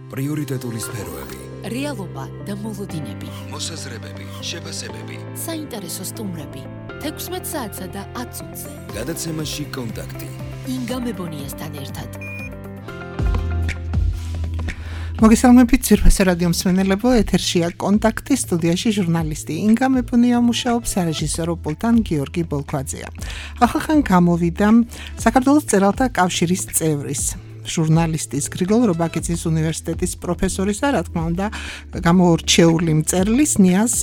პრიორიტეტული სფეროები, რეალობა და მოლოდინები, მოსაზრებები, შეფასებები, საინტერესო სტუმრები, 16 საათსა და 10 წუთზე. გადაცემაში კონტაქტი. ინგა მებონიასთან ერთად. მოგესალმებით ძვირფასი რადიო მსმენელებო, ეთერშია კონტაქტი, სტუდიაში ჟურნალისტი ინგა მებონია მუშაობს, რეჟისორო პულტან გიორგი ბოლქვაძეა. ახალხან გამოვიდა საქართველოს მწერალთა კავშირის წევრის ჟურნალისტის გრიგოლ რობაქიძის უნივერსიტეტის პროფესორის და რა თქმა უნდა გამოურჩეული მწერლის ნიაზ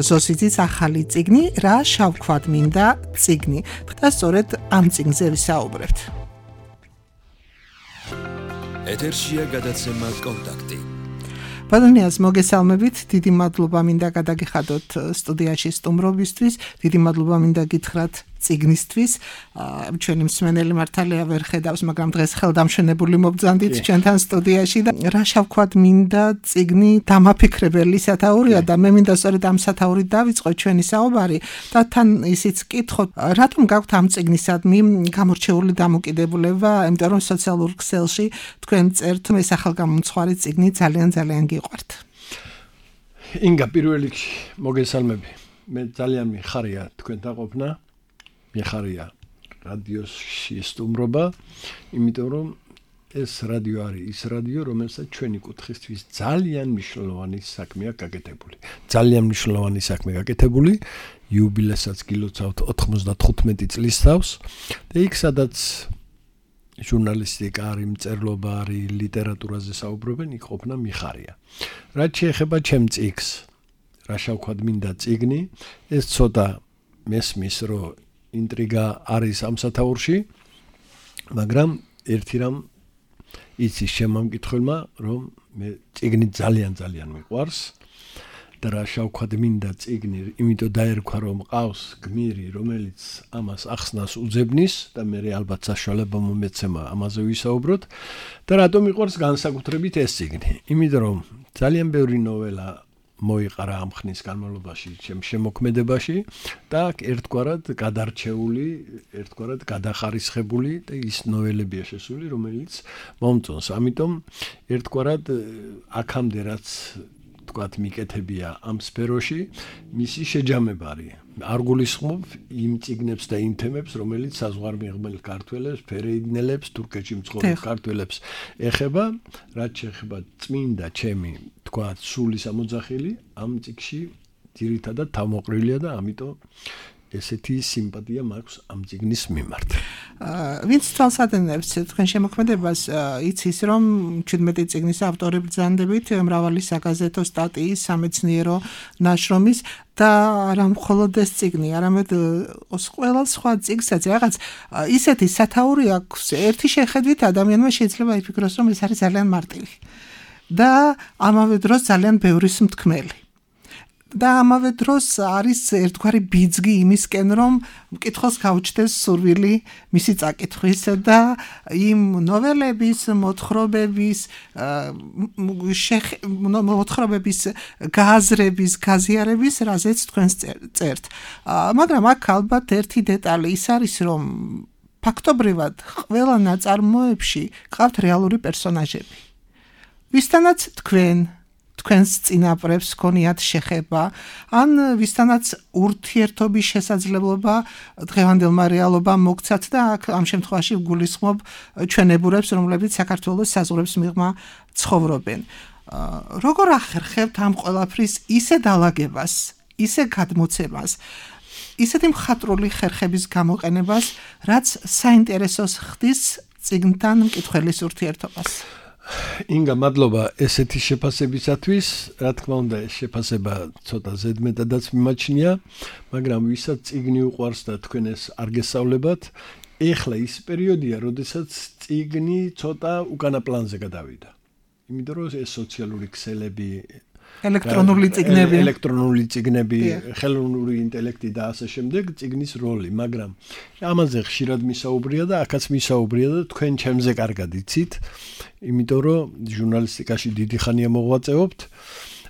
ზოსიძის ახალი წიგნი რა შავქვად მინდა წიგნი და სწორედ ამ წიგნზე ვისაუბრებთ. ეთერშია გადაცემა კონტაქტი. ბატონიას მოგესალმებით, დიდი მადლობა მინდა გადაგიხადოთ სტუდიაში სტუმრობისთვის, დიდი მადლობა მინდა გითხრათ წიგნისთვის. ჩვენი მსმენელი მართალია ვერ ხედავს, მაგრამ დღეს ხელდამშვენებული მობრძანდით ჩვენთან სტუდიაში და რა შავქვად მინდა წიგნი დამაფიქრებელი სათაურია და მე მინდა სწორედ ამ სათაურით დავიწყოთ ჩვენი საუბარი და თან ისიც ვკითხოთ, რატომ გაქვთ ამ წიგნისადმი გამორჩეული დამოკიდებულება, იმიტომ რომ სოციალურ ქსელში თქვენ წერთ ეს ახალგამომცხვარი წიგნი ძალიან გიყვართ. ინგა პირველ რიგში მოგესალმები. მე ძალიან მიხარია თქვენთან ყოფნა. მიხარია რადიოში სტუმრობა, იმიტომ რომ ეს რადიო არის ის რადიო, რომელსაც ჩვენი კუთხისთვის ძალიან მნიშვნელოვანი საქმეა გაკეთებული. ძალიან მნიშვნელოვანი საქმე გაკეთებული, იუბილესაც გილოცავთ 95 წლის თავს და იქ სადაც ჟურნალისტიკა არის, მწერლობა არის, ლიტერატურაზე საუბრობენ, იქ ყოფნა მიხარია. რაც შეეხება ჩემ წიგნს, რა შავქვად მინდა წიგნი, ეს ცოტა მესმის, რომ ინტრიგა არის ამ სათაურში, მაგრამ ერთი რამ იცის შემამკითხველმა, რომ მე წიგნი ძალიან მიყვარს და რა შავქვად მინდა წიგნი, იმიტომ დაერქვა, რომ ყავს გმირი, რომელიც ამას ახსნას უძებნის და მე ალბათ საშუალება მომეცემა ამაზე ვისაუბროთ და რატომ მიყვარს განსაკუთრებით ეს წიგნი, იმიტომ რომ ძალიან ბევრი ნოველა მოიყარა ამ ხნის განმავლობაში ჩემ შემოქმედებაში და ერთგვარად გადარჩეული, ერთგვარად გადახარისხებული და ის ნოველებია შესული, რომელიც მომწონს. ამიტომ ერთგვარად აქამდე რაც თქვათ მიკეთებია ამ სფეროში, მისი შეჯამება არის. არ გულისხმობ იმ წიგნებს და იმ თემებს, რომელიც საზღვარმიღებელ ქართველებს, ფერეიდნელებს, თურქეთში მცხოვრებ ქართველებს ეხება, რაც შეეხება წმინდა ჩემი, თქვათ, სული სამოძახილი, ამ წიგნში ძირითადად თავმოყრილია და ამიტომ ესეთი სიმპათია მაქვს ამ წიგნის მიმართ. ვინც თვალსადენებს თქვენ შემოქმედებას, იცის რომ 17 წიგნის ავტორი ბრძანდებით, მრავალი საგაზეთო სტატიის, სამეცნიერო ნაშრომის და არა მხოლოდ ეს წიგნი, არამედ ყველა სხვა წიგნსაც რაღაც ისეთი სათაური აქვს, ერთი შეხედვით ადამიანმა შეიძლება იფიქროს, რომ ეს არის ძალიან მარტივი და ამავე დროს ძალიან ბევრის მთქმელი. და ამავე დროს არის ერთგვარი ბიძგი იმისკენ, რომ მკითხველს გაუჩნდეს სურვილი მისი წაკითხვის და იმ ნოველების, მოთხრობების გააზრების, გაზიარების, რაზეც თქვენ წერთ. მაგრამ აქ ალბათ ერთი დეტალი ის არის, რომ ფაქტობრივად ყველა ნაწარმოებში ყავთ რეალური პერსონაჟები. ვისთანაც თქვენს წინაპრებს გქონიათ შეხება, ან ვისთანაც ურთიერთობის შესაძლებლობა დღევანდელმა რეალობამ მოგცათ და აქ ამ შემთხვევაში გულისხმობ ჩვენებურებს, რომლებიც საქართველოს საზღვრებს მიღმა ცხოვრობენ. როგორ ახერხებთ ამ ყველაფრის ისე დალაგებას, ისე გადმოცემას, ისეთი მხატვრული ხერხების გამოყენებას, რაც საინტერესოს ხდის წიგნთან მკითხველის ურთიერთობას? ინგა, მადლობა ესეთი შეფასებისათვის, რა თქმა უნდა ეს შეფასება ცოტა ზედმეტადაც მიმაჩნია, მაგრამ ვისაც წიგნი უყვარს და თქვენ ეს არ გესწავლებათ, ეხლა ის პერიოდია, როდესაც წიგნი ცოტა უკანა პლანზე გადავიდა. იმიტომ რომ ეს სოციალური ქსელები, ელექტრონული წიგნები, ხელოვნური ინტელექტი და ასე შემდეგ, წიგნის როლი, მაგრამ ამაზე ხშირად მისაუბრია და აქაც მისაუბრია და თქვენ ჩემზე კარგად იცით, იმიტომ რომ ჟურნალისტიკაში დიდი ხანია მოღვაწეობთ,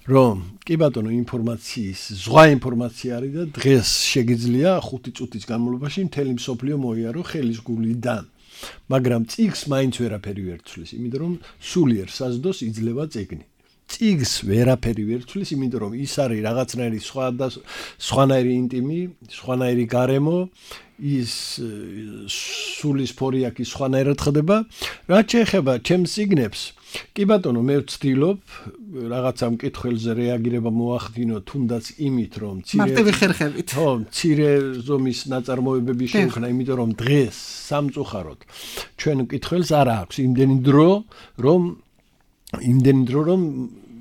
რომ კი ბატონო ინფორმაციის, ზღვა ინფორმაცია არის და დღეს შეგიძლია 5 წუთის განმავლობაში მთელი მსოფლიო მოიარო ხელის გულიდან. მაგრამ წიგს მაინც ვერაფერი ვერ ცვლის, იმიტომ რომ სულიერ საზდოს იძლევა წიგნი. წიგს ვერაფერი ვერ ცვლის, იმიტომ რომ ის არის რაღაცნაირი სხვანაირი ინტიმი, სხვანაირი გარემო, ის სულის ფორიაკი სხვანაირად ხდება. რაც შეეხება ჩემს წიგნებს, კი ბატონო, მე ვცდილობ რაღაცა მკითხველზე რეაგირება მოახდინო, თუნდაც იმით, რომ მარტივი ხერხებით. ხო, მცირე ზომის ნაწარმოებები შევქნა, იმიტომ რომ დღეს სამწუხაროდ ჩვენ მკითხველს არ აქვს იმდენი დრო, რომ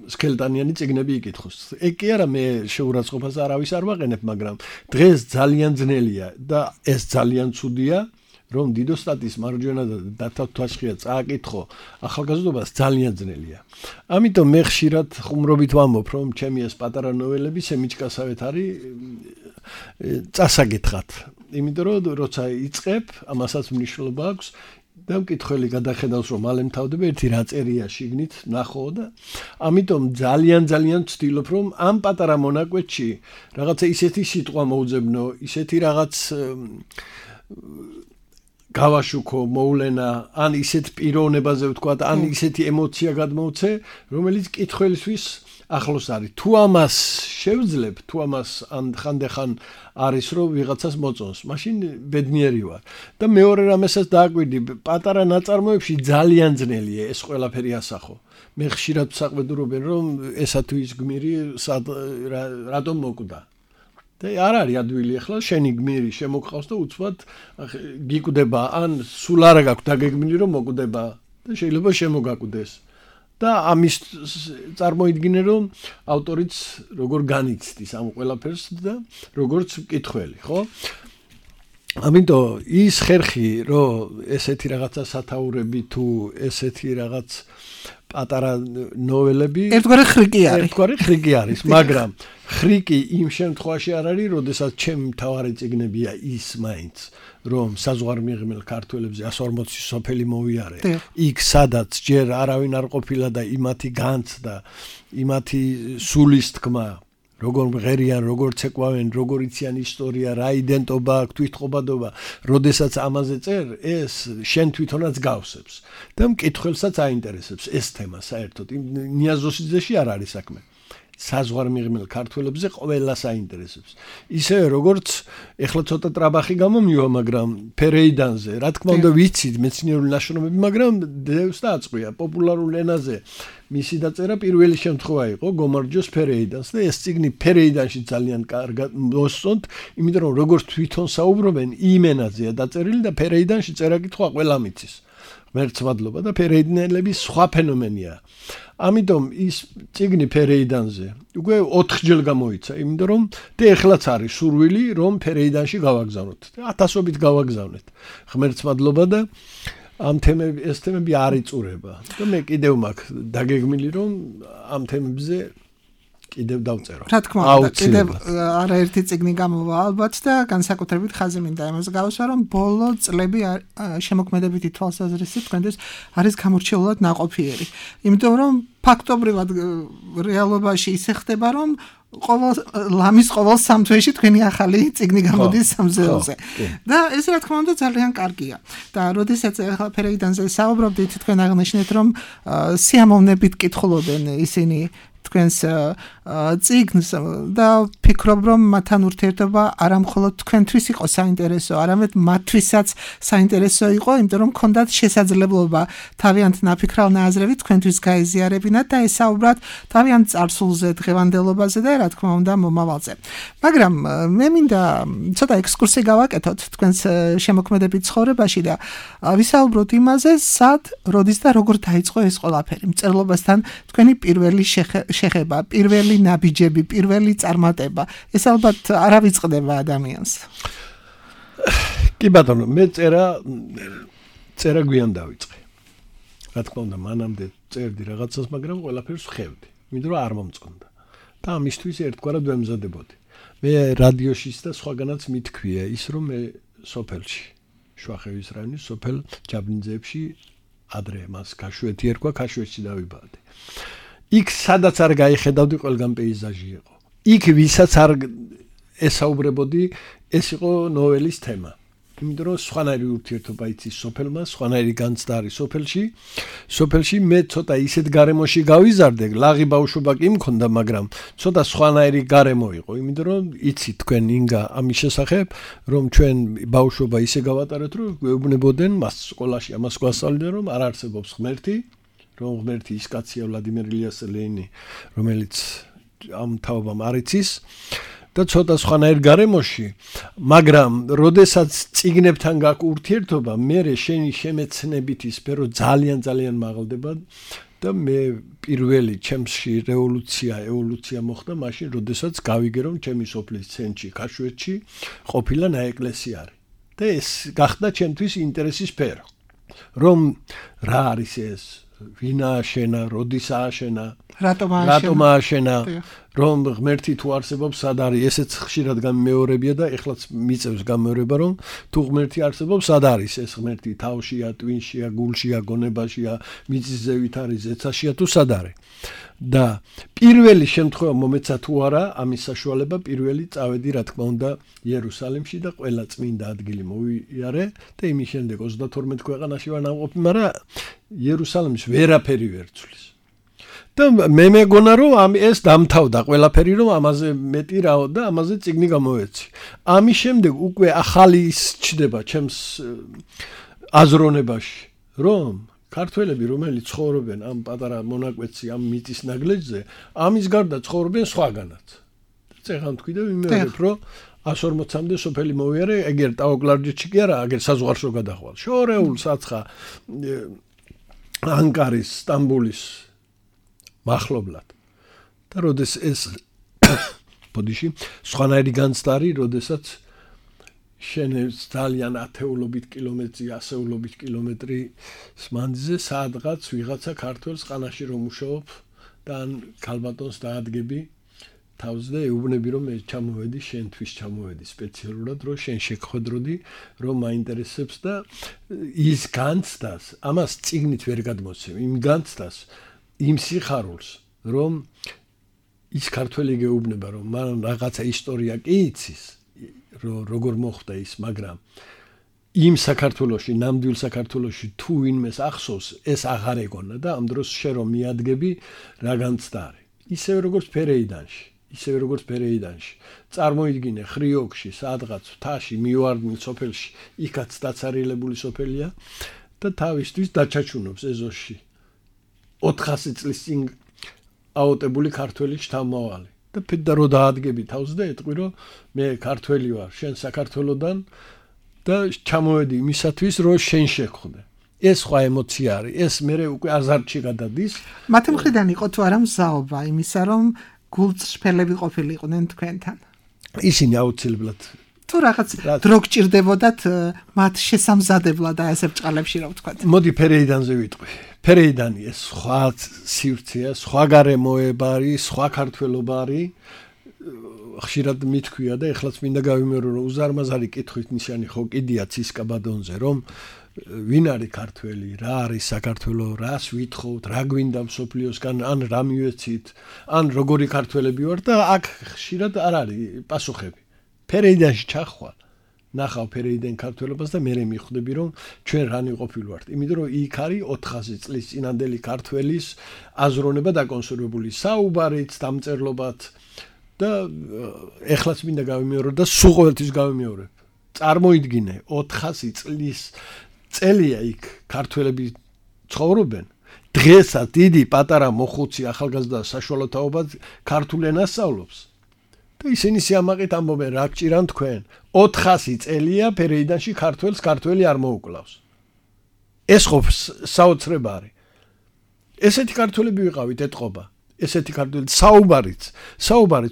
სქელტანიანი წიგნები იკითხოს. ეგ კი არა, მე შეურაცხყოფას არავის არ ვაყენებ, მაგრამ დღეს ძალიან ძნელია და ეს ძალიან ცუდია, რომ დიდო სტატის მარჯვენა და დათვალშია წააკითხო ახალგაზრდობას ძალიან ძნელია. ამიტომ მე ხშირად ხუმრობით ვამბობ, რომ ჩემი ეს პატარა ნოველები სემიჩკასავეთ არის წასაგეთხად. იმიტომ რომ როცა იწყებ, ამასაც მნიშვნელობა აქვს. და მკითხველი გადახედავს, რომ მალე მთავრდება ერთი რა წერია შიგნით ნახო და ამიტომ ძალიან ვცდილობ, რომ ამ პატარა მონაკვეთში რაღაცა ისეთი სიტყვა მოუძებნო, ისეთი რაღაც გავაშუქო, მოვლენა, ან ისეთ პიროვნებაზე ვთქვა, ან ისეთი ემოცია გადმოვცე, რომელიც მკითხველისთვის ახლოს არის. თუ ამას შევძლებ, თუ ამას ხანდახან არის რომ ვიღაცას მოწონს, მაშინ ბედნიერი ვარ. და მეორე რამესაც დააკვირდი, პატარა ნაწარმოებში ძალიან ძნელია ეს ყველაფერი ასახო. მე ხშირად საყვედურობენ, რომ ესა თუ ის გმირი რატომ მოკვდა. და არ არის ადვილი ახლა შენი გმირი შემოგყავს და უცბად გიკვდება, ან სულ არ გაქვს დაგეგმილი რომ მოკვდება და შეიძლება შემოგაკვდეს. და ამის წარმოიდგინე რომ ავტორიც როგორ განიცდის ამ ყველაფერს და როგორც მკითხველი, ხო? ამიტომ ის ხერხი, რომ ესეთი რაღაცა სათაურები თუ ესეთი რაღაც პატარა ნოველები ერთგვარი ხრიკი არის, მაგრამ ხრიკი იმ შემთხვევაში არ არის, როდესაც ჩემი მთავარი წიგნებია ის მაინც, რომ საზღვარმიღმელ ქართველებზე 140 სოფელი მოვიარე. იქ სადაც ჯერ არავინ არ ყოფილა და იმათი განცდა, იმათი სულის თქმა, როგორ მღერიან, როგორ ცეკვავენ, როგორ იციან ისტორია, რა იდენტობა აქვს, თვითყობადობა, როდესაც ამაზე წერ, ეს შენ თვითონაც გავსებს და მკითხველსაც აინტერესებს ეს თემა საერთოდ. ნიაზოსიძეში არ არის საქმე. საზღვარმიღმელ ქართველებზე ყველას აინტერესებს. ისევე როგორც ეხლა ცოტა ტრაბახი გამომივა, მაგრამ ფერეიდანზე, რა თქმა უნდა ვიცით მეცნიერული ნაშრომები, მაგრამ დევს დააწყვია პოპულარულ ენაზე. მისი დაწერა პირველი შემთხვევა იყო გომარჯოს ფერეიდანს და ეს წიგნი ფერეიდანში ძალიან კარგად მოსწონთ, იმიტომ რომ როგორც თვითონ საუბრობენ იმ ენაზეა დაწერილი და ფერეიდანში წერა-კითხვა ყველა მიცის. ღმერთს მადლობა და ფერეიდნელები სხვა ფენომენია. ამიტომ ის წიგნი ფერეიდანზე უკვე 4 გამოიცა, იმიტომ რომ და ეხლაც არის სურვილი რომ ფერეიდანში გავაგზავნოთ. 1000-ობით გავაგზავნეთ. ღმერთს მადლობა და ამ ეს თემები არ იწურება. და მე კიდევ მაქვს დაგეგმილი რომ ამ თემებზე კიდევ დავწერო. რა თქმა უნდა, კიდევ არაერთი წიგნი გამოვა ალბათ და განსაკუთრებით ხაზი მინდა იმას გავუსვა, რომ ბოლო წლები შემოქმედებითი თვალსაზრისით თქვენთვის არის გამორჩეულად ნაყოფიერი. იმიტომ რომ ფაქტობრივად რეალობაში ისე ხდება, რომ ლამის ყოველ 3 თვეში თქვენი ახალი წიგნი გამოდის სამზეულზე. და ეს რა თქმა უნდა ძალიან კარგია. და როდესაც ახლა ფერეიდანზე საუბრობდით, თქვენ აღნიშნეთ, რომ სიამოვნებით კითხულობენ ისინი თქვენს წიგნს და ფიქრობ რომ მათთან ურთიერთობა არა მხოლოდ თქვენთვის იყო საინტერესო, არამედ მათთვისაც საინტერესო იყო, იმიტომ რომ ჰქონდათ შესაძლებლობა თავიანთ ნაფიქრალ ნააზრევით თქვენთვის გაეზიარებინათ და ესაუბრათ თავიანთ წარსულზე, დღევანდელობაზე და რა თქმა უნდა მომავალზე. მაგრამ მე მინდა ცოტა ექსკურსი გავაკეთოთ თქვენს შემოქმედებით ცხოვრებაში და ვისაუბროთ იმაზე, სად, როდის და როგორ დაიწყო ეს ყველაფერი. მწერლობასთან თქვენი პირველი შეხება, პირველი ნაბიჯები, პირველი წარმატება. ეს ალბათ არ ავიწყდება ადამიანს. კი ბატონო, მე წერა გვიან დავიწყე. რა თქმა უნდა, მანამდე წერდი რაღაცას, მაგრამ ყველაფერს ვხევდი, იმიტომ რომ არ მომწონდა. და ამისთვის ერთგვარად ვემზადებოდი. მე რადიოშიც და სხვაგანაც მithქვია ის, რომ მე სოფელში, შუახევის რაიონის სოფელ ჯაბნიძეებში ადრე მას ქაშვეთი ერქვა, ქაშვეთში დავიბადე. იქ სადაც არ გაიხედავდი, ყველგან პეიზაჟი იყო. იქ ვისაც არ ესაუბრებოდი, ეს იყო ნოველის თემა. იმიტომ რომ სხვანაირი ურთიერთობა იცის სოფელმა, სხვანაირი განცდა არის სოფელში. სოფელში მე ცოტა ისეთ გარემოში გავიზარდე, ლაღი ბავშვობა კი მქონდა, მაგრამ ცოტა სხვანაირი გარემო იყო, იმიტომ რომ იცით თქვენ ინგა ამის შესახებ, რომ ჩვენ ბავშვობა ისე გავატარეთ, რომ გვეუბნებოდნენ მას სკოლაში ამას გვასწავლდნენ, რომ არ არსებობს ღმერთი, რომ ღმერთი ის კაცია ვლადიმერ ილიას ლენინი, რომელიც ამ თაობამ არ იცის და ცოტა სხვანაირ გარემოში, მაგრამ როდესაც წიგნებთან გაქვს ურთიერთობა, მე შენი შემეცნებითი სფერო ძალიან მაღლდება და მე პირველი ჩემში ევოლუცია მოხდა მაშინ, როდესაც გავიგე, რომ ჩემი სოფლის ცენტრში, ქაშვეთში ყოფილა ნაეკლესია არის. და ეს გახდა ჩემთვის ინტერესის სფერო. რომ რა არის ეს, ვინ ააშენა, როდის ააშენა, რატომ ააშენა, რომ ღმერთი თუ არსებობს, სად არის, ესეც ხშირად გამეორებია და ეხლაც მიწევს გამეორება, რომ თუ ღმერთი არსებობს, სად არის ეს ღმერთი, თავშია, ტვინშია, გულშია, გონებაშია, მიწის ზევით არის, ზეცაშია თუ სად არის. და პირველი შემთხვევა მომეცა თუ არა, ამის საშუალება პირველი წავედი, რა თქმა უნდა, იერუსალიმში და ყველა წმინდა ადგილი მოვიარე და იმის შემდეგ 32 ქვეყანაში ვარ ნამყოფი, მაგრამ იერუსალიმის ვერაფერი ვერ ცვლის. და მე მეგონა რომ ეს დამთავრდა ყველაფერი, რომ ამაზე მეტი რაო და ამაზე წიგნი გამოვეცი. ამის შემდეგ უკვე ახალი ის ჩდება ჩემს აზროვნებაში, რომ ქართველები, რომელიც ცხოვრობენ ამ პატარა მონაკვეთში, ამ მიწის ნაგლეჯზე, ამის გარდა ცხოვრობენ სხვაგანაც. წეღან თქვი და ვიმეორებ, რომ 140-მდე სოფელი მოვიარე, ეგერ ტაოკლარჯეთში კი არა, აგერ საზღვარშო გადახვალ. შორეულ საცხა ანკარის, სტამბოლის მახლობლად. და როდეს ეს ბოდიში სხვანაირი განცდა არის, როდესაც შენებს ძალიან ათეულობით კილომეტრი, ასეულობით კილომეტრი მანძილზე სადღაც ვიღაცა ქართველს ყანაში რომ მუშაობ და ან ქალბატონს დაადგები თავს და ეუბნები რომ მე ჩამოვედი შენთვის ჩამოვედი სპეციალურად რომ შენ შეგხვედროდი რომ მაინტერესებს და ის განცდას ამას წიგნით ვერ გადმოცემ იმ განცდას იმ სიხარულს რომ ის ქართველი გეუბნება რომ მან რაღაცა ისტორია კი იცის როგორ მოხდა ის მაგრამ იმ საქართველოში ნამდვილ საქართველოში თუ ვინმეს ახსოვს ეს აღარ ეგონა და ამ დროს შე რომ მიადგები რა განცდა არის ისევ როგორც ფერეიდანში წარმოიდგინე ხრიოკში სადღაც მთაში მივარდნილ სოფელში იქაც დაცარიელებული სოფელია და თავისთვის დაჩაჩუნობს ეზოში 400 წლის წინ აუტებული ქართველი შთამავალი და პედა რო დაადგები თავს და ეტყვი რომ მე ქართველი ვარ შენ საქართველოდან და ჩამოვედი იმისათვის რომ შენ შეგხვდე ეს სხვა ემოცია არის ეს მე უკვე აზარტში გადადის მათი მხრიდან იყო თუ არა მზაობა იმისა რომ გულწრფელები ყოფილიყვნენ თქვენთან ისინი აუცილებლად თუ რაღაც დრო გჭირდებოდათ მათ შესამზადებლად და ესე ბჭყალებში რა ვთქვათ მოდი ფერეიდანზე ვიტყვი ფერეიდანი ეს სხვა სივრცეა სხვა გარემოება არის სხვა ქართველობა არის ხშირად მithქვია და ეხლაც მინდა გავიმეორო რომ უზარმაზარი კითხვით ნიშანი ხო კიდია ცისკაბადონზე რომ ვინ არის ქართველი რა არის საქართველო რას ვითხოვთ რა გვინდა მსოფლიოსგან ან რა მივეცით ან როგორი ქართველები ვარ და აქ ხშირად არ არის პასუხები ფერეიდანში ჩახვალ ნახავ ფერეიდან ქართველობას და მე მიხვდები რომ ჩვენ რანი ყოფილ ვართ იმიტომ რომ იქ არის 400 წლის წინანდელი ქართველის აზროვნება დაკონსერვებული საუბარით დამწერლობად და ეხლაც მინდა გავიმეორო და სულ ყოველთვის გავიმეორებ წარმოიდგინე 400 წლის წელია იქ ქართველები ცხოვრობენ დღესაც დიდი პატარა მოხუცი ახალგაზრდა საშუალო თაობა ქართულ ენას სწავლობს და ისინი სიამაყით ამბობენ რა გჭირან თქვენ 400 წელია ფერეიდანში ქართველს ქართველი არ მოუკლავს ეს ხო საოცრება არის ესეთი ქართველები ვიყავით ეთყობა ესეთი ქართველი საუბარიც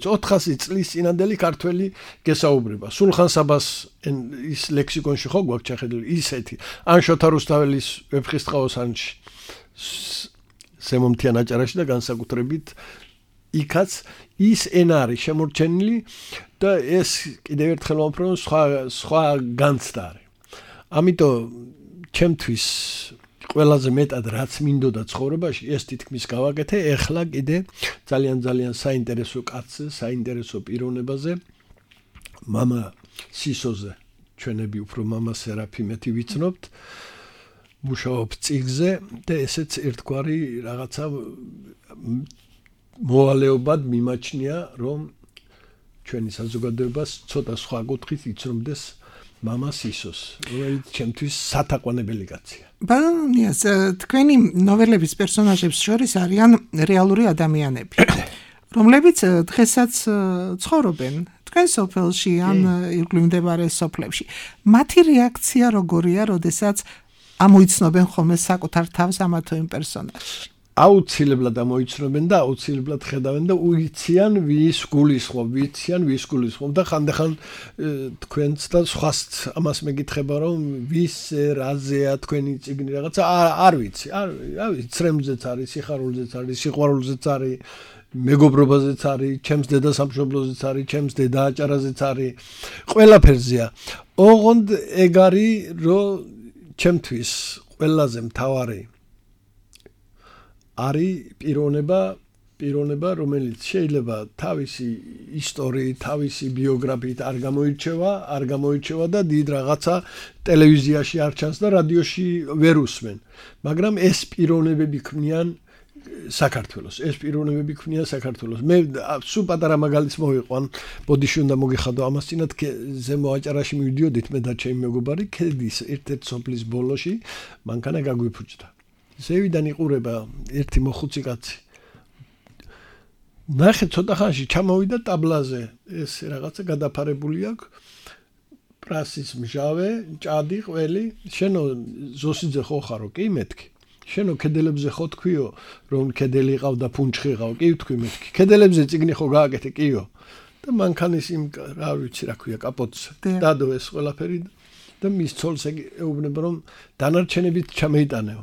400 წლის წინანდელი ქართველი გესაუბრება სულხან საბას ის ლექსიკონში ხო გვაქვს ჩახედული ისეთი ან შოთა რუსთაველის ვეფხისტყაოს ან სემომთიან აჭარაში და განსაკუთრებით იქაც ის ენა არის შემორჩენილი და ეს კიდევ ერთხელ ვამბობ რომ სხვა განცდა არის ამიტომ ჩემთვის ყველაზე მეტად რაც მინდოდა ცხოვრებაში ეს თითქმის გავაკეთე ეხლა კიდე ძალიან საინტერესო კაცზე საინტერესო პიროვნებაზე მამა სისოზე ჩვენები უფრო მამა სერაფიმეთი ვიცნობთ მუშაობ წიგზე და ესეც ერთგვარი რაღაცა მოვალეობად მიმაჩნია რომ ჩვენი საზოგადოებას ცოტა სხვა კუთხით იცნობდეს მამას ისოს რომელიც ჩემთვის სათაყვანებელი კაცია ბანანიას თქვენი ნოველების პერსონაჟებს შორის არიან რეალური ადამიანები რომლებიც დღესაც ცხოვრობენ თქვენ სოფელში ან ირგვლივ მდებარე სოფლებში მათი რეაქცია როგორია როდესაც ამოიცნობენ ხოლმე საკუთარ თავს ამა თუ იმ პერსონაჟში აუცილებლად ამოიცნობენ და აუცილებლად ხედავენ და უიციან ვის გულისხმობ და ხანდახან თქვენც და სხვას ამას მეკითხება რომ ვის რაზეა თქვენი წიგნი რაღაცა არ ვიცი ცრემლზეც არის სიხარულზეც არის სიყვარულზეც არის მეგობრობაზეც არის ჩემს დედა სამშობლოზეც არის ჩემს დედა აჭარაზეც არის ყველაფერზეა ოღონდ ეგ არის რომ ჩემთვის ყველაზე მთავარი არის პიროვნება რომელიც შეიძლება თავისი ისტორიით, თავისი ბიოგრაფიით არ გამოირჩევა და დიდ რაღაცა ტელევიზიაში არ ჩანს და რადიოში ვერ უსმენ. მაგრამ ეს პიროვნებები ქმნიან საქართველოს. მე სულ პატარა მაგალითს მოვიყვან, ბოდიში უნდა მოგიხადო ამას წინათ ზემო აჭარაში მივიდიოდით მე და ჩემი მეგობარი ქედის ერთ-ერთ სოფლის ბოლოში მანქანა გაგვიფუჭდა. ზევიდან იყურება ერთი მოხუცი კაცი. ნახე ცოტა ხანში ჩამოვიდა ტაბლაზე. ეს რაღაცა გადაფარებული აქვს. პრასის მჟავე, ჭადი, ყველი. შენო ზოსიძე ხო ხარო? კი მეთქი. შენო კედელებზე ხო თქვიო, რომ კედელი ყავდა ფუნჩხი ყავ? კი თქვი მეთქი. კედელებზე წიგნი ხო გააკეთე? კიო. და მანქანის იმ რა ვიცი რა ქვია კაპოტს. დადო ეს ყველაფერი და მის ცოლს ეუბნება რომ დანარჩენებით ჩამეიტანეო.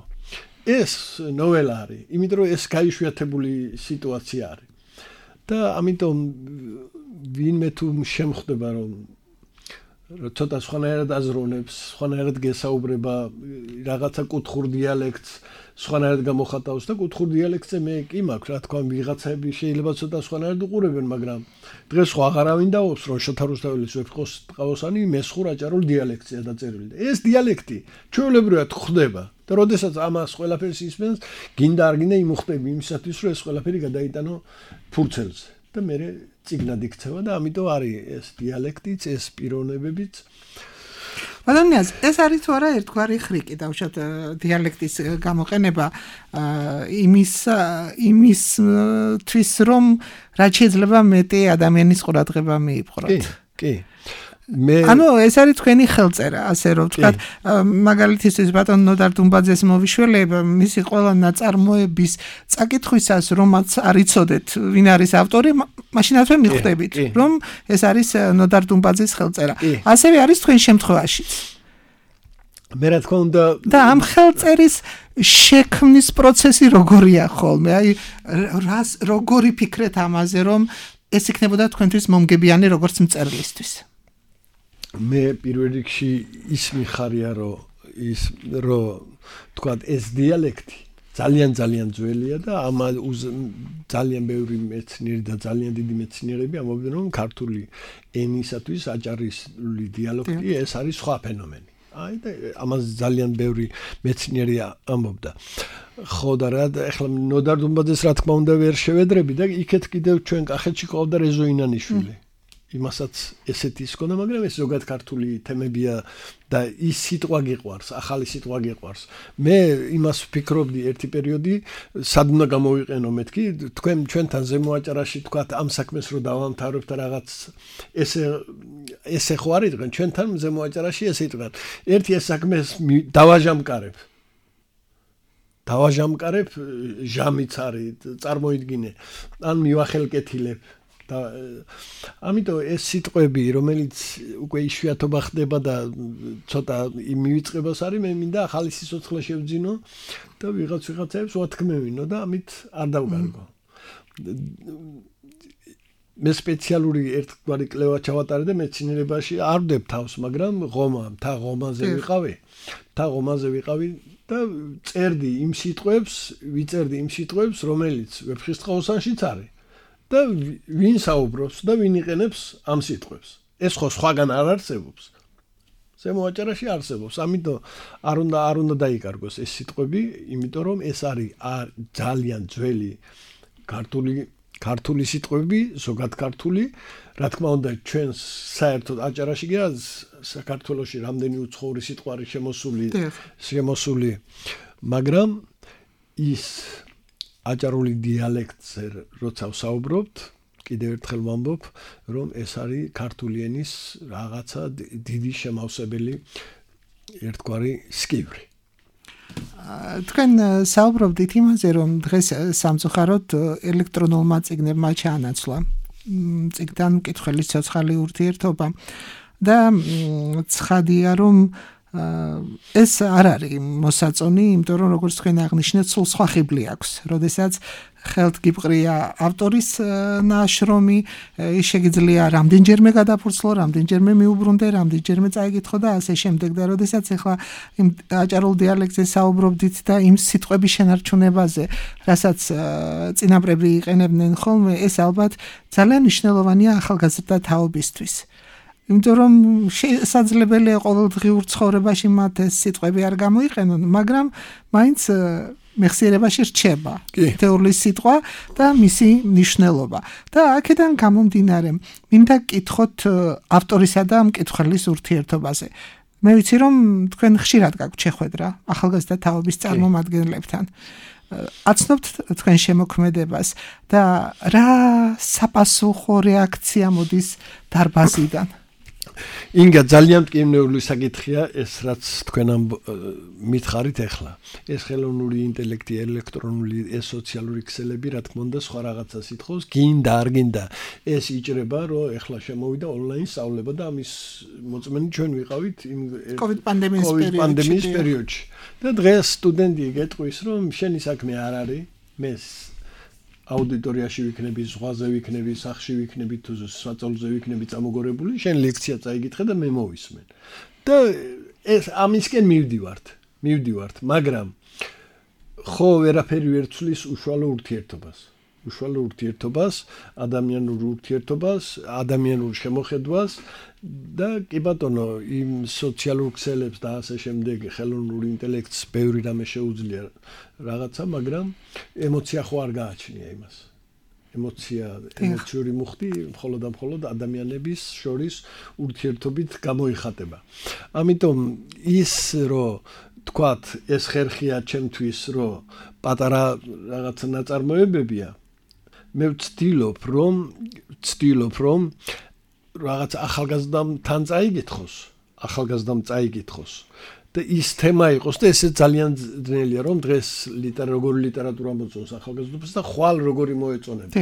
ეს ნოველა არის, იმიტომ რომ ეს გაიშვიათებული სიტუაცია არის. და ამიტომ ვინმე თუ შემხვდება რომ ცოტა სხვანაირად აზროვნებს, სხვანაირად გესაუბრება, რაღაცა კუთხურ დიალექტს, სხვანაირად გამოხატავს და კუთხურ დიალექტზე მე კი მაქვს, რა თქვა, ვიღაცები შეიძლება ცოტა სხვანაირად უყურებენ, მაგრამ დღეს ხო აღარავინ დაობს, რომ შოთა რუსთაველის ვეფხოს ტყავოსანი მესხურ აჭარულ დიალექტია დაწერილი. ეს დიალექტი ჩვეულებრივად ხდება და როდესაც ამას ყველაფერს ისმენს, გინდა არ გინდა იმუხტები იმისათვის, რომ ეს ყველაფერი გადაიტანო ფურცელზე. და მე წიგნად იქცევა და ამიტომ არის ეს დიალექტიც, ეს პიროვნებებიც. ბანანიას ეს არის თუ არა ერთგვარი ხრიკი დავშოთ დიალექტის გამოყენება იმისთვის რომ რაც შეიძლება მეტი ადამიანის ყურადღება მიიპყროთ. კი. ანუ ეს არის თქვენი ხელწერა, ასე რომ ვთქვათ, მაგალითისთვის ბატონ ნოდარ დუმბაძეს მოვიშველებ, მისი ყველა ნაწარმოების წაკითხვისას, რომაც არ იცოდეთ, ვინ არის ავტორი, მაშინათვე მიხვდებით, რომ ეს არის ნოდარ დუმბაძის ხელწერა. ასევე არის თქვენ შემთხვევაშიც. მე რა თქმა უნდა და ამ ხელწერის შექმნის პროცესი როგორია ხოლმე? აი როგორი ფიქრეთ ამაზე, რომ ეს იქნებოდა თქვენთვის მომგებიანი როგორც მწერლისთვის? მე პირველ რიგში ის მიხარია რომ თქვათ ეს დიალექტი ძალიან ძველია და ამ ძალიან ბევრი მეცნიერი და ძალიან დიდი მეცნიერები ამბობენ რომ ქართული ენისათვის აჭარისული დიალექტი ეს არის სხვა ფენომენი. აი და ამას ძალიან ბევრი მეცნიერი ამბობდა. ხო და რა ეხლა ნოდარ დუმბაძეს რა თქმა უნდა ვერ შევედრები და იქეთ კიდევ ჩვენ კახეთში ყავდა რეზო ინანიშვილი. იმასაც ესეთი ის ქონდა, მაგრამ ეს ზოგად ქართული თემებია და ის სიტყვა გიყვარს, ახალი სიტყვა გიყვარს. მე იმას ვფიქრობდი ერთი პერიოდი, სად უნდა გამოვიყენო მეთქი, ჩვენთან ზემო აჭარაში თქვათ ამ საქმეს რო დავამთავრებთ და რაღაც ესე ხო არ იყვნენ, ჩვენთან ზემო აჭარაში ესე იყვნენ. ერთი ეს საქმეს დავაჟამკარებ, ჟამიც არის, წარმოიდგინე, ან მივახელკეთილებ. ამიტომ ეს სიტყვები, რომელიც უკვე იშვიათობა ხდება და ცოტა მივიწყებას არის, მე მინდა ახალი სიცოცხლე შევძინო და ვიღაცებს ვათქმევინო და ამით არ დავგარგო. მე სპეციალური ერთგვარი კვლევა ჩავატარე და მეცნიერებაში არ ვდებ თავს, მაგრამ მთა ღომაზე ვიყავი და ვიწერდი იმ სიტყვებს, რომელიც ვეფხისტყაოსანშიც არის. და ვინ საუბრობს და ვინ იყენებს ამ სიტყვებს. ეს ხო სხვაგან არ არსებობს. ზემო აჭარაში არსებობს. ამიტომ არ უნდა დაიკარგოს ეს სიტყვები, იმიტომ რომ ეს არის ძალიან ძველი ქართული სიტყვები, ზოგად ქართული, რა თქმა უნდა, ჩვენ საერთოდ აჭარაში კი არა საქართველოში რამდენი უცხოური სიტყვა არის შემოსული, მაგრამ ის აჭარული დიალექტზე როცა ვსაუბრობთ, კიდევ ერთხელ ვამბობ, რომ ეს არის ქართული ენის რაღაცა დიდი შემავსებელი ერთგვარი სკივრი. თქვენ საუბრობდით იმაზე, რომ დღეს სამწუხაროდ ელექტრონულმა წიგნებმა ჩაანაცვლა წიგნთან მკითხველის ცოცხალი ურთიერთობა და ცხადია, რომ ეს არ არის მოსაწონი, იმიტომ რომ როგორც თქვენ აღნიშნეთ, სულ სხვა ხიბლი აქვს. როდესაც ხელთ გიპყრია ავტორის ნაშრომი, შეგიძლია რამდენჯერმე გადაფურცლო, რამდენჯერმე მიუბრუნდე, რამდენჯერმე წაიკითხო და ასე შემდეგ. და როდესაც ახლა იმ აჭარულ დიალექტზე საუბრობდით და იმ სიტყვების შენარჩუნებაზე, რასაც წინაპრები იყენებდნენ ხოლმე, ეს ალბათ ძალიან მნიშვნელოვანია ახალგაზრდა თაობისთვის. იმიტომ რომ შესაძლებელია ყოველდღიურ ცხოვრებაში მათ ეს სიტყვები არ გამოიყენონ, მაგრამ მაინც მეხსიერებაში რჩება თეორიის სიტყვა და მისი მნიშვნელობა. და აქედან გამომდინარე, მინდა გკითხოთ ავტორისა და მკითხველის ურთიერთობაზე. მე ვიცი, რომ თქვენ ხშირად გაქვთ შეხვედრა ახალგაზრდა თაობის წარმომადგენლებთან. აცნობთ თქვენ შემოქმედებას და რა საპასუხო რეაქცია მოდის დარბაზიდან? ინგა ძალიან მტკივნეული საკითხია ეს, რაც თქვენ მითხარით ახლა. ეს ხელოვნური ინტელექტი, ელექტრონული, ეს სოციალური ქსელები, რა თქმა უნდა, სხვა რაღაცას ითხოვს, გინდა არ გინდა. ეს იჭრება, რომ ახლა შემოვიდა ონლაინ სწავლება და ამის მოწმენი ჩვენ ვიყავით იმ COVID პანდემიის პერიოდში. და დღეს სტუდენტი გეტყვის, რომ შენი საქმე არ არის, მე აუდიტორიაში ვიქნები, ზღვაზე ვიქნები, სახლში ვიქნები, თუ საწოლზე ვიქნები წამოგორებული, შენ ლექცია წაიგითხე და მე მოვისმენ. და ეს ამისკენ მივდივართ, მაგრამ ხო ვერაფერი ვერ ცვლის უშუალო ურთიერთობას, ადამიანურ ურთიერთობას, ადამიანურ შემოხედვას და კი ბატონო, იმ სოციალურ ქსელებს და ასე შემდეგ ხელოვნურ ინტელექტს ბევრი რამე შეუძლია რაღაცა, მაგრამ ემოცია ხო არ გააჩნია იმას. ემოციური მუხტი მხოლოდ ადამიანების შორის ურთიერთობით გამოიხატება. ამიტომ ის რომ თქვათ, ეს ხერხია ჩემთვის, რომ პატარა რაღაცა ნაწარმოებებია, მე ვცდილობ რომ რაღაც ახალგაზრდამ წაიგითხოს და ის თემა იყოს და ესე ძალიან ძნელია, რომ დღეს როგორი ლიტერატურა მოწონს ახალგაზრდობას და ხვალ როგორი მოეწონება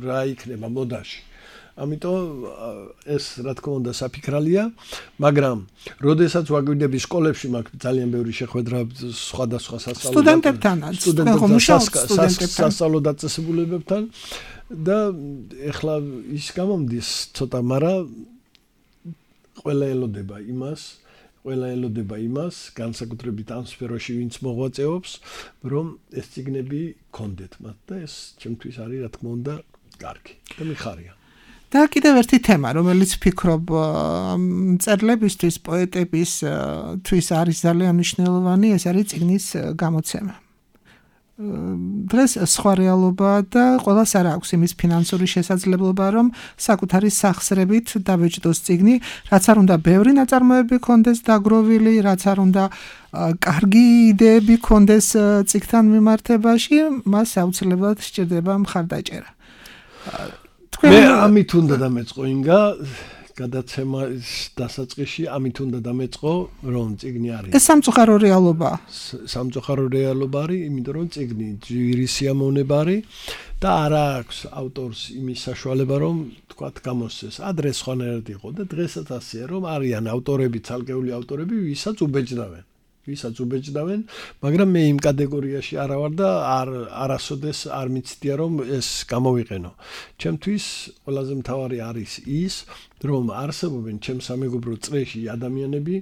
რა იქნება მოდაში. ამიტომ ეს რა თქმა უნდა საფიქრალია, მაგრამ როდესაც ვაგვიდები სკოლებში მაქვს ძალიან ბევრი შეხვედრა სხვადასხვა სასწავლო დაწესებულებებთან და ეხლა ის გამომდის ცოტა, მაგრამ ყველა ელოდება იმას, განსაკუთრებით ამ სფეროში ვინც მოღვაწეობს, რომ ეს წიგნები გქონდეთ მათ და ეს ჩემთვის არის რა თქმა უნდა კარგი და მიხარია. და კიდევ ერთი თემა, რომელიც ვფიქრობ მწერლებისთვის, პოეტებისთვის არის ძალიან მნიშვნელოვანი, ეს არის წიგნის გამოცემა. დღეს სხვა რეალობაა და ყველას არ აქვს იმის ფინანსური შესაძლებლობა, რომ საკუთარი სახსრებით დაბეჭდოს წიგნი, რაც არ უნდა ბევრი ნაწარმოები ქონდეს დაგროვილი, რაც არ უნდა კარგი იდეები ქონდეს წიგნთან მიმართებაში, მას აუცილებლად სჭირდება მხარდაჭერა. მე ამით უნდა დამეწყო ინგა გადაცემის დასაწყისში, ამით უნდა დამეწყო, რომ წიგნი არის. ეს სამწუხარო რეალობაა. სამწუხარო რეალობა არის, იმიტომ რომ წიგნი ძვირი სიამოვნება არის და არ აქვს ავტორს იმის საშუალება, რომ თქვათ გამოსცეს. ადრე სხვანაირად იყო და დღესაც ასეა, რომ არიან ავტორები, ცალკეული ავტორები, ვისაც უბეჭდავენ, მაგრამ მე იმ კატეგორიაში არა ვარ და არასოდეს არ მიცდია, რომ ეს გამოვიყენო. ჩემთვის ყველაზე მთავარი არის ის, რომ არსებობენ ჩემს სამეგობრო წრეში ადამიანები,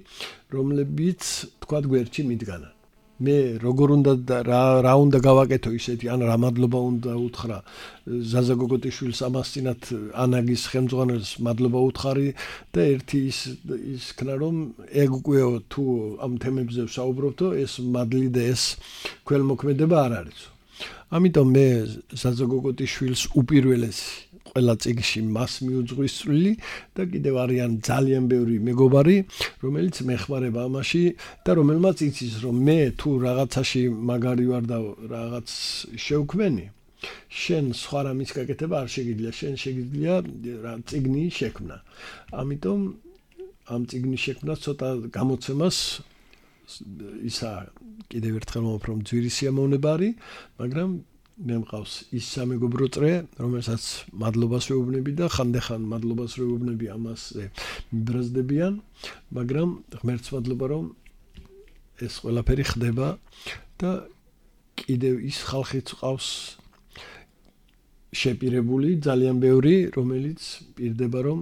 რომლებიც თქვათ გვერდში მიდგანან. მე როგორ უნდა რა უნდა გავაკეთო ისეთი ან რა მადლობა უნდა უთხრა ზაზა გოგოტიშვილს ამას წინათ ანაგის ხელმძღვანელს მადლობა უთხარი და ერთი ის ქნა რომ ეგ უკვე თუ ამ თემებზე ვსაუბრობთო ეს მადლი და ეს ქველმოქმედება არ არისო ამიტომ მე ზაზა გოგოტიშვილს უპირველესი ყველა წიგნში მას მიუძღვისწვლილი და კიდევ არიან ძალიან ბევრი მეგობარი, რომელიც მეხმარება ამაში და რომელმაც იცის რომ მე თუ რაღაცაში მაგარი ვარ და რაღაც შევქმენი, შენ სხვა რამის გაკეთება არ შეგიძლია, შენ შეგიძლია რა წიგნი შექმნა. ამიტომ ამ წიგნის შექმნა ცოტა გამოცემას ისა კიდევ ერთხელ მომფრო ძვირი სიამოვნება არის, მაგრამ მე მყავს ის სამეგობრო წრე, რომელსაც მადლობას ვეუბნები და ხანდახან მადლობას ვეუბნები ამას მიბრაზდებიან, მაგრამ ღმერთს მადლობა რომ ეს ყველაფერი ხდება და კიდევ ის ხალხიც ყავს შეპირებული ძალიან ბევრი, რომელიც პირდება რომ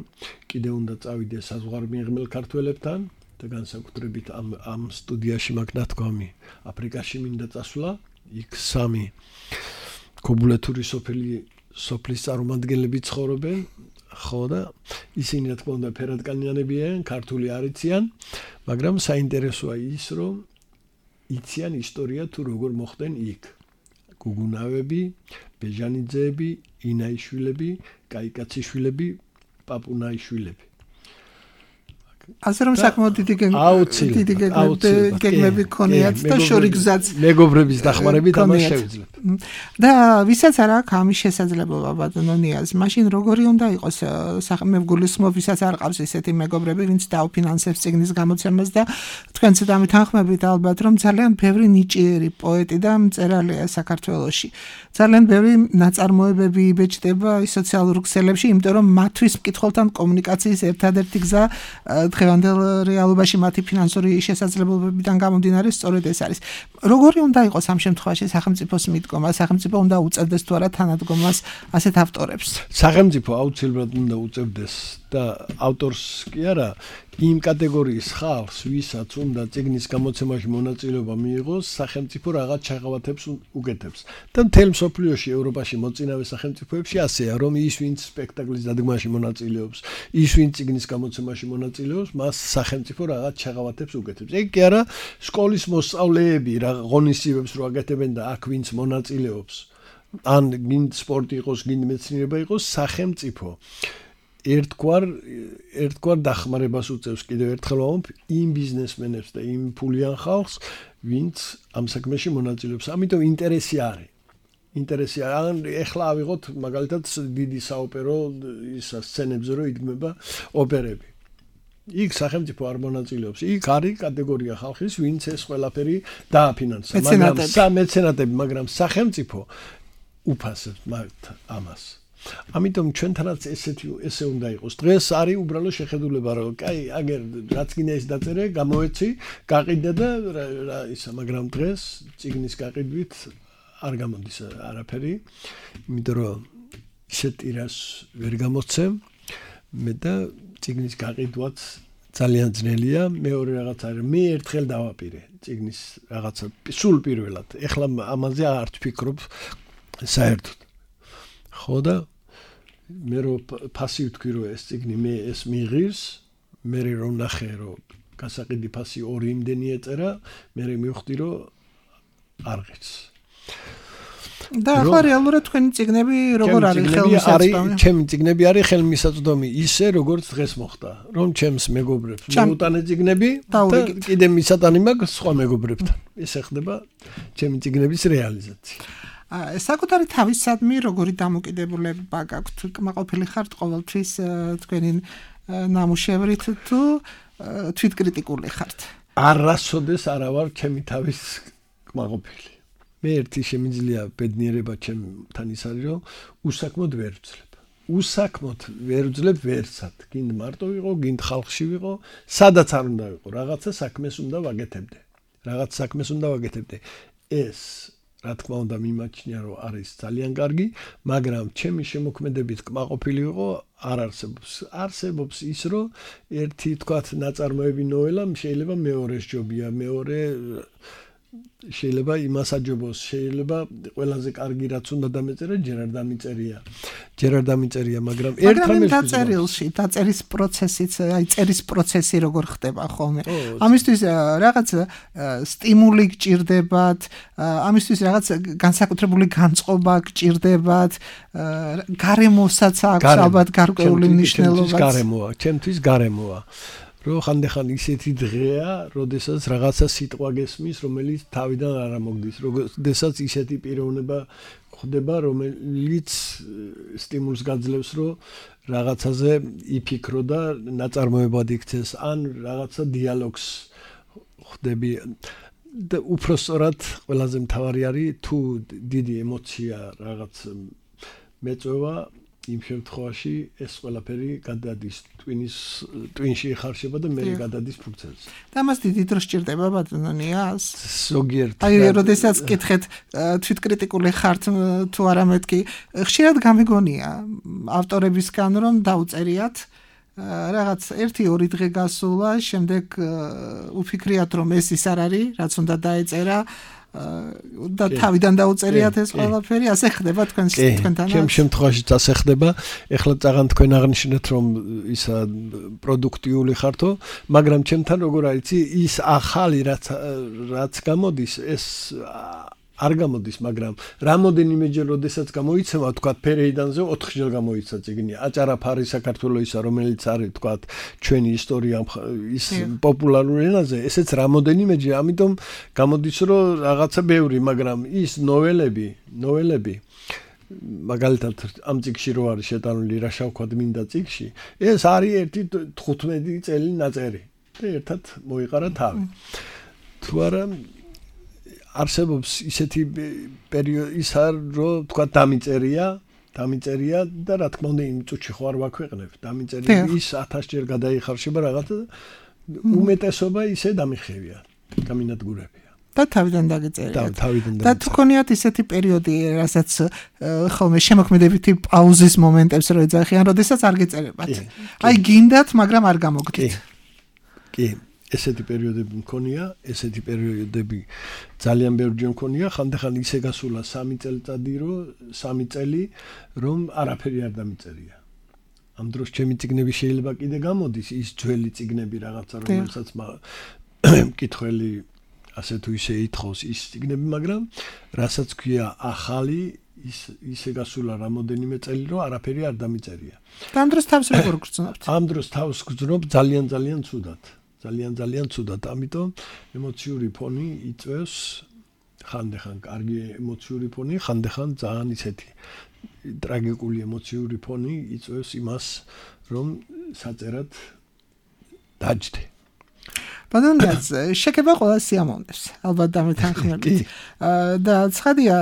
კიდევ უნდა წავიდეს საზღვარმიღმელ ქართველებთან და განსაკუთრებით ამ სტუდიაში მაქვს ნათქვამი აფრიკაში მინდა წასვლა, იქ 3 კობულეთური სოფლის წარმომადგენლები ცხოვრობენ, ხო და ისინი რა თქმა უნდა ფერადკანიანებიან, ქართული არ იციან, მაგრამ საინტერესოა ის, რომ იციან ისტორია თუ როგორ მოხდნენ იქ. გუგუნავები, ბეჟანიძეები, ინაიშვილები, კაიკაციშვილები, პაპუნაიშვილები. ასე რომ საკმაოდ დიდი გეგმები ქონიათ და შორიგზაც მეგობრების დახმარებით ამას შევიძლებ. და ვისაც არ აქვს ამის შესაძლებლობა ბატონო ნიაზ, მაშინ როგორი უნდა იყოს მე გულისხმობ, ვისაც არ ყავს ესეთი მეგობრები, ვინც დაუფინანსებს წიგნის გამოცემას და თქვენც დამითანხმებით ალბათ რომ ძალიან ბევრი ნიჭიერი პოეტი და მწერალია საქართველოში. ძალიან ბევრი ნაწარმოებები იბეჭდება სოციალურ ქსელებში, იმიტომ რომ მათთვის მკითხველთან კომუნიკაციის ერთადერთი გზა დღევანდელ რეალობაში მათი ფინანსური შესაძლებლობებიდან გამომდინარე სწორედ ეს არის. როგორი უნდა იყოს ამ შემთხვევაში სახელმწიფოს მიდგომა, სახელმწიფო უნდა უწევდეს თუ არა თანადგომას ასეთ ავტორებს? სახელმწიფო აუცილებლად უნდა უწევდეს და ავტორს კი არა, იმ კატეგორიის ხალხს, ვისაც უნდა წიგნის გამოცემაში მონაწილეობა მიიღოს, სახელმწიფო რაღაც ჩაღავათებს უკეთებს. და მთელ მსოფლიოში, ევროპაში მოწინავე სახელმწიფოებში ასეა, რომ ის ვინც სპექტაკლის დადგმაში მონაწილეობს, ის ვინც წიგნის გამოცემაში მონაწილეობს, მას სახელმწიფო რაღაც ჩაღავათებს უკეთებს. ეგ კი არა, სკოლის მოსწავლეები რა ღონისძიებებს რო აკეთებენ და აქ ვინც მონაწილეობს, ან გინდ სპორტი იყოს, გინდ მეცნიერება იყოს, სახელმწიფო ერთგვარ დახმარებას უწევს კიდევ ერთხელ ვამბობ იმ ბიზნესმენებს და იმ ფულიან ხალხს, ვინც ამ საქმეში მონაწილეობს. ამიტომ ინტერესი არის. ან ეხლა ავიღოთ მაგალითად დიდი საოპერო სცენებზე რო იდგმება ოპერები. იქ სახელმწიფო არ მონაწილეობს. იქ არის კატეგორია ხალხის, ვინც ეს ყველაფერი დააფინანსა, მაგრამ სახელმწიფო უფასებს ამას. ამიტომ ჩვენთანაც ესე უნდა იყოს. დღეს არის უბრალო შეხედულება, რომ კაი, აგერ რაც გინდა ის დაწერე, გამოეცი, გაყიდე და რა ისა, მაგრამ დღეს წიგნის გაყიდვით არ გამოდის არაფერი, იმიტომ რომ ისეთ ტირაჟს ვერ გამოცემ მე და წიგნის გაყიდვაც ძალიან ძნელია. მეორე რაღაც არის, მე ერთხელ დავაპირე წიგნის რაღაცა სულ პირველად. ეხლა ამაზე არ ვფიქრობ საერთოდ. ხო და მე რო ფასი ვთქვი რომ ეს წიგნი მე ეს მიღირს, მე რომ ნახე რომ გასაყიდი ფასი 2 იმდენი ეწერა, მე მივხვდი რომ არ ღირს. და ახლა რეალურად თქვენი წიგნები როგორ არის ხელმისაწვდომი? ჩემი წიგნები არის ხელმისაწვდომი ისე როგორც დღეს მოხდა, რომ ჩემს მეგობრებს მოუტანე წიგნები და კიდე მისატანი მაქვს სხვა მეგობრებთან. ესე ხდება ჩემი წიგნების რეალიზაცია. საკუთარი თავისადმი როგორი დამოკიდებულება გაქვთ? კმაყოფილი ხართ ყოველთვის თქვენი ნამუშევრით თუ თვითკრიტიკული ხართ? არასოდეს არა ვარ ჩემი თავის კმაყოფილი. მე ერთი შემიძლია ბედნიერება ჩემთან ის არის, რომ უსაქმოდ ვერ ვძლებ. უსაქმოდ ვერ ვძლებ ვერცად. გინდ მარტო ვიყო, გინდ ხალხში ვიყო, სადაც არ უნდა ვიყო, რაღაცა საქმეს უნდა ვაკეთებდე. ეს რა თქმა უნდა მიმაჩნია რომ არის ძალიან კარგი, მაგრამ ჩემი შემოქმედებით კმაყოფილი ვიყო არ არსებობს. არსებობს ის რომ ერთი თქვათ ნაწარმოები ნოველა შეიძლება მეორეს ჯობია, მეორე შეიძლება იმას აჯობოს, შეიძლება ყველაზე კარგი რაც უნდა დამეწერა, ჯერ არ დამიწერია, მაგრამ ერთ დაწერილში, დაწერის პროცესიც, აი წერის პროცესი როგორ ხდება ხოლმე. ამისთვის რაღაც სტიმული გჭირდებათ, ამისთვის რაღაც განსაკუთრებული განწყობა გჭირდებათ, გარემოსაც აქვს ალბათ გარკვეული მნიშვნელობა. ჩემთვის გარემოა. Რო ხანდახან ისეთი დღეა, როდესაც რაღაცა სიტყვა გესმის, რომელიც თავიდან არ ამოგდის, როდესაც ისეთი პიროვნება ხდება, რომელიც სტიმულს გაძლევს, რომ რაღაცაზე იფიქრო და ნაწარმოებად იქცეს, ან რაღაცა დიალოგს ხდები. და უფრო სწორად ყველაზე მთავარი არის თუ დიდი ემოცია რაღაც მეწვევა იმ შემთხვევაში ეს ყველაფერი გადადის ტვინში იხარშება და მე გადადის ფურცელს. და მას დიდი დრო სჭირდება ბატონიას. ზოგიერთ. აი, როდესაც კითხეთ თვითკრიტიკული ხართ თუ არა მეთქი, ხშირად გამიგონია ავტორებისგან რომ დაუწერიათ რაღაც 1-2 დღე გასულა, შემდეგ უფიქრიათ რომ ეს ის არ არის, რაც უნდა დაეწერა. და თავიდან დაუწერიათ ეს ყველაფერი, ასე ხდება თქვენთანაც. ჩემ შემთხვევაშიც ასე ხდება. ეხლა წაღან თქვენ აღნიშნეთ რომ ისა პროდუქტიული ხართო, მაგრამ ჩემთან როგორ არის ის ახალი რაც გამოდის, ეს არ გამოდის, მაგრამ რამოდენიმეჯერ როდესაც გამოიცემა, თქვა ფერეიდანზე 4 ჯერ გამოიცა წიგნი. აჭარაფარი საქართველოისა, რომელიც არის თქვა ჩვენი ისტორია ის პოპულარული ენაზე, ესეც რამოდენიმეჯერ, ამიტომ გამოდის რომ რაღაცა ბევრი, მაგრამ ის ნოველები მაგალითად ამ წიგში რო არის შეტანილი რა შევქვა მინდა წიგში, ეს არის 15 წელი ნაწერი და ერთად მოიყარა თავი. თუ არა არსებობს ისეთი პერიოდი ის არ რომ თქვა დამიწერია და რა თქმა უნდა იმ წუთში ხო არ ვაქვეყნებ დამიწერია ის 1000 ჯერ გადაიხარშება რაღაცა უმეტესობა ისე დამიხევია გამინადგურებია და თავიდან დაგეწერია და თუ გქონიათ ისეთი პერიოდი რასაც ხოლმე შემოქმედებითი პაუზის მომენტებს რო ეძახიან როდესაც არ გეწერებათ აი გინდათ მაგრამ არ გამოგდით კი ესეთი პერიოდები მქონია, ესეთი პერიოდები ძალიან ბევრჯერ მქონია, ხანდახან ისე გასულა 3 წელიწადი, რომ 3 წელი რომ არაფერი არ დამიწერია. ამ დროს ჩემი წიგნები შეიძლება კიდე გამოდის, ის ძველი წიგნები რაღაცა, რომელსაც მკითხველი ასე თუ ისე ითხოვს ის წიგნები, მაგრამ რასაც ქვია ახალი ისე გასულა რამოდენიმე წელი, რომ არაფერი არ დამიწერია. და ამ დროს თავს როგორ გრძნობთ? ამ დროს თავს გრძნობ ძალიან ცუდად. ძალიან ცუდად, ამიტომ ემოციური ფონი იწვევს ხანდახან კარგი ემოციური ფონი, ხანდახან ძალიან ისეთი ტრაგიკული ემოციური ფონი იწვევს იმას, რომ საწერად დაჯდე. ბატონიაც, შეკება ყველა სიამოვნებს, ალბათ დამეთანხმებით. და ცხადია,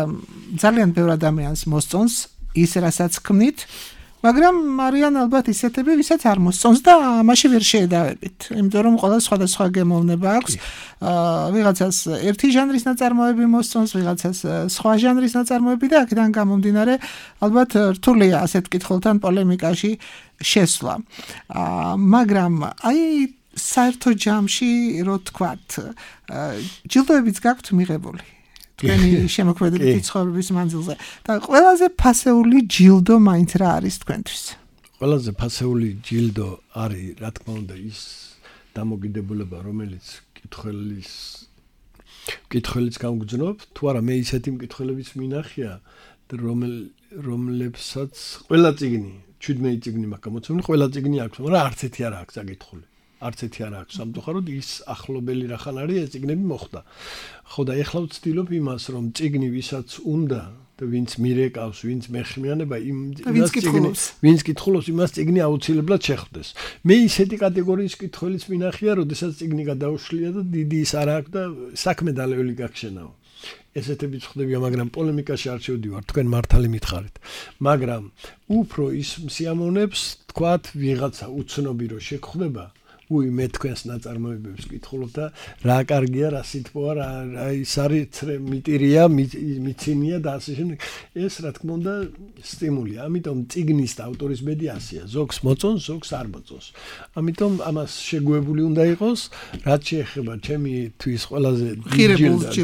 ძალიან ბევრ ადამიანს მოსწონს ის, რასაც ქმნით, მაგრამ არიან ალბათ ისეთები, ვისაც არ მოსწონს და ამაში ვერ შეედავებით. იმიტომ რომ ყველა სხვადასხვა გემოვნება აქვს. ვიღაცას ერთი ჟანრის ნაწარმოები მოსწონს, ვიღაცას სხვა ჟანრის ნაწარმოები და აქედან გამომდინარე ალბათ რთულია ასეთ კითხულთან პოლემიკაში შესვლა. მაგრამ აი საერთო ჯამში რო თქვათ, ჯილდოებიც გაქვთ მიღებული. თქვენი შემოქმედებითი ცხოვრების მანძილზე და ყველაზე ფასეული ჯილდო მაინც რა არის თქვენთვის? ყველაზე ფასეული ჯილდო არის, რა თქმა უნდა, ის დამოკიდებულება, რომელიც მკითხველიც გამგზნობ, თუ არა მე ისეთი მკითხველების მინახია, რომლებსაც ყველა წიგნი, 17 წიგნი მაქვს გამოცემული, ყველა წიგნი აქვს, მაგრამ არც ერთი არ აქვს წაკითხული. არც ერთი არ აქვს სამწუხაროდ ის ახლობელი რახან არის ეს წიგნები მოხდა. ხო და ეხლა ვცდილობ იმას რომ წიგნი ვისაც უნდა და ვინც მირეკავს, ვინც მეხმიანება ვინც კითხულობს იმას წიგნი აუცილებლად შეხვდეს. მე ისეთი კატეგორიის კითხველის მინახია, როდესაც წიგნი გადაუშლია და დიდი ის არ აქვს და საქმე დალეველი გაგშენაო. ესეთებიც ხდებია, მაგრამ პოლემიკაში არ შევდივარ, თქვენ მართალი მითხარით. მაგრამ უფრო ის მსიამოვნებს, თქვათ, ვიღაცა უცნობი რო შეგხვდება მე თქვენს ნაწარმოებებს ვკითხულობ და რა კარგია, რა სითბოა, რა ის არის მიტირია, მიცინია და ასე შემდეგ. ეს რა თქმა უნდა სტიმულია. ამიტომ წიგნის და ავტორის ბედი ასეა. ზოგს მოწონს, ზოგს არ მოწონს. ამიტომ ამას შეგუებული უნდა იყოს, რაც შეეხება ჩემი თვის ყველაზე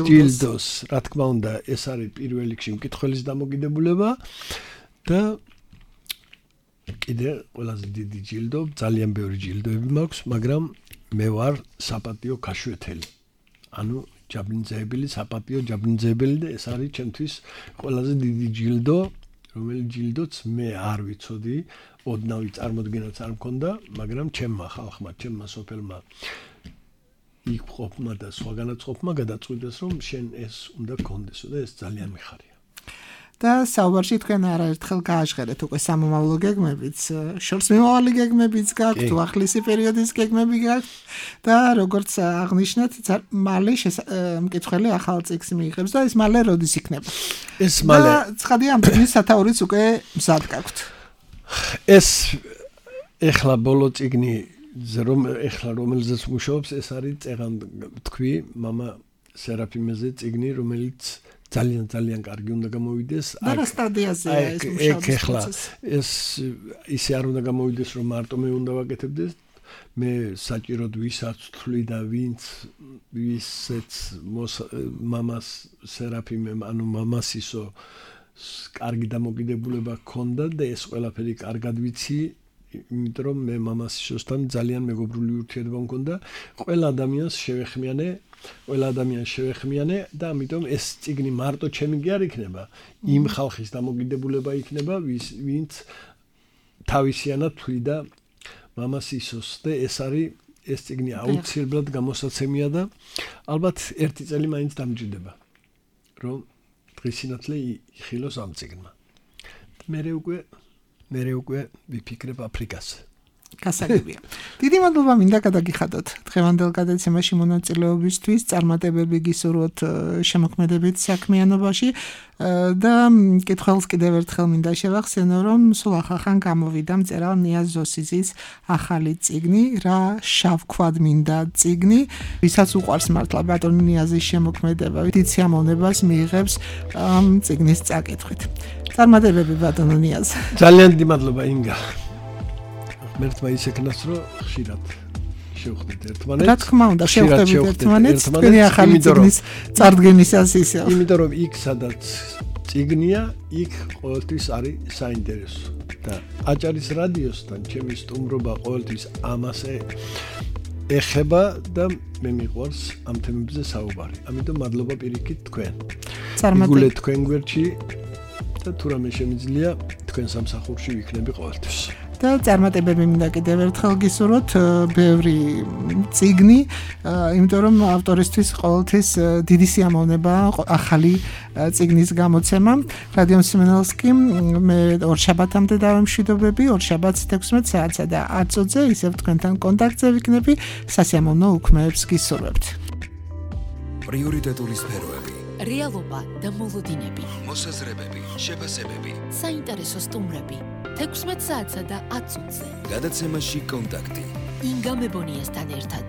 ჯილდოს, რა თქმა უნდა, ეს არის პირველ რიგში მკითხველის დამოკიდებულება და კიდე ყველაზე დიდი ჯილდო, ძალიან ბევრი ჯილდოები მაქვს, მაგრამ მე ვარ საპატიო ქაშვეთელი. ანუ ჯაბინძეებელი, საპატიო ჯაბინძეებელი და ეს არის ჩემთვის ყველაზე დიდი ჯილდო, რომელიც ჯილდოც მე არ ვიცოდი, ოდნავი წარმოდგენაც არ მქონდა, მაგრამ ჩემმა ხალხმა, ჩემმა სოფელმა იქ ყოფმა და სხვაგანაც ყოფმა გადაწყვიტეს, რომ შენ ეს უნდა გქონდესო და ეს ძალიან მიხარია. და საუბარში თქვენ არაერთხელ გააჟღერეთ უკვე სამომავლო გეგმებიც, შორს მიმავალი გეგმებიც გაქვთ, უახლესი პერიოდის გეგმები გაქვთ და როგორც აღნიშნეთ, მალე მკითხველი ახალ წიგნს მიიღებს და ეს მალე როდის იქნება? ეს მალე. ცხადია, ამ წიგნის სათაურიც უკვე მზად გაქვთ. ეს ეხლა ბოლო წიგნი ეხლა რომელზეც მუშაობს, ეს არის წეღან თქვი მამა სერაფიმეზე წიგნი, რომელიც ძალიან კარგი უნდა გამოვიდეს. და რა სტადიაზეა ეს მუშაობის ეხლა ეს ისე არ უნდა გამოვიდეს, რომ მარტო მე უნდა ვაკეთებდეს. მე საჭიროდ ვისაც თვლი და ვისეც მამას სერაფიმემ, ანუ მამასისო კარგი დამოკიდებულება ჰქონდა და ეს ყველაფერი კარგად ვიცი, იმიტომ რომ მე მამასისოსთან ძალიან მეგობრული ურთიერთობა მქონდა. ყველა ადამიანს შევეხმიანე და ამიტომ ეს წიგნი მარტო ჩემი კი არ იქნება, იმ ხალხის დამოკიდებულება იქნება, ვინც თავისიანად თვლიდა მამასისოს და ეს წიგნი აუცილებლად გამოსაცემია და ალბათ ერთი წელი მაინც დამჭირდება, რომ დღისინათლე იხილოს ამ წიგნმა. მე უკვე ვიფიქრებ აფრიკას. გასაგებია. დიდი მადლობა მინდა გადაგიხადოთ დღევანდელ გადაცემაში მონაწილეობისთვის, წარმატებები გისურვოთ შემოქმედებით საქმიანობაში და მკითხველს კიდევ ერთხელ მინდა შევახსენო, რომ სულ ახალ გამოვიდა მწერალ ნიაზ ზოსიზის ახალი წიგნი, რა შავქვად მინდა წიგნი, ვისაც უყვარს მართლა ბატონი ნიაზის შემოქმედება, დიდ სიამოვნებას მიიღებს წიგნის წაკითხვით. წარმატებები ბატონო ნიაზ. ძალიან დიდი მადლობა ინგა. მერტმა ისეკნას რომ ხშირად შევხვდით ერთმანეთს. რა თქმა უნდა, შევხვდებით ერთმანეთს, თქვენი ახალი წიგნის წარდგენისას ისე. იმიტომ რომ იქ სადაც წიგნია, იქ ყოველთვის არის საინტერესო და აჭარის რადიოსთან ჩემი სტუმრობა ყოველთვის ამასე ეხება და მე მიყვარს ამ თემებზე საუბარი. ამიტომ მადლობა პირიქით თქვენ. მიგულეთ თქვენ გვერდში და თუ რამე შემიძლია თქვენ სამსახურში ვიქნები ყოველთვის. და წარმატებები მინდა კიდევ ერთხელ გისურვოთ, ბევრი წიგნი, იმიტომ რომ ავტორისთვის ყოველთვის დიდი სიამოვნება ახალი წიგნის გამოცემა. რადიო მსმენელს კი მე ორშაბათამდე დავემშვიდობები, ორშაბათს 16 საათსა და 10 წუთზე ისევ თქვენთან კონტაქტზე ვიქნები, სასიამოვნო უქმეებს გისურვებთ. პრიორიტეტული სფეროები, რეალობა და მოლოდინები, მოსაზრებები, შეფასებები, საინტერესო სტუმრები 16 საათსა და 10 წუთზე. გადაცემაში კონტაქტი. ინგა მებონიასთან ერთად.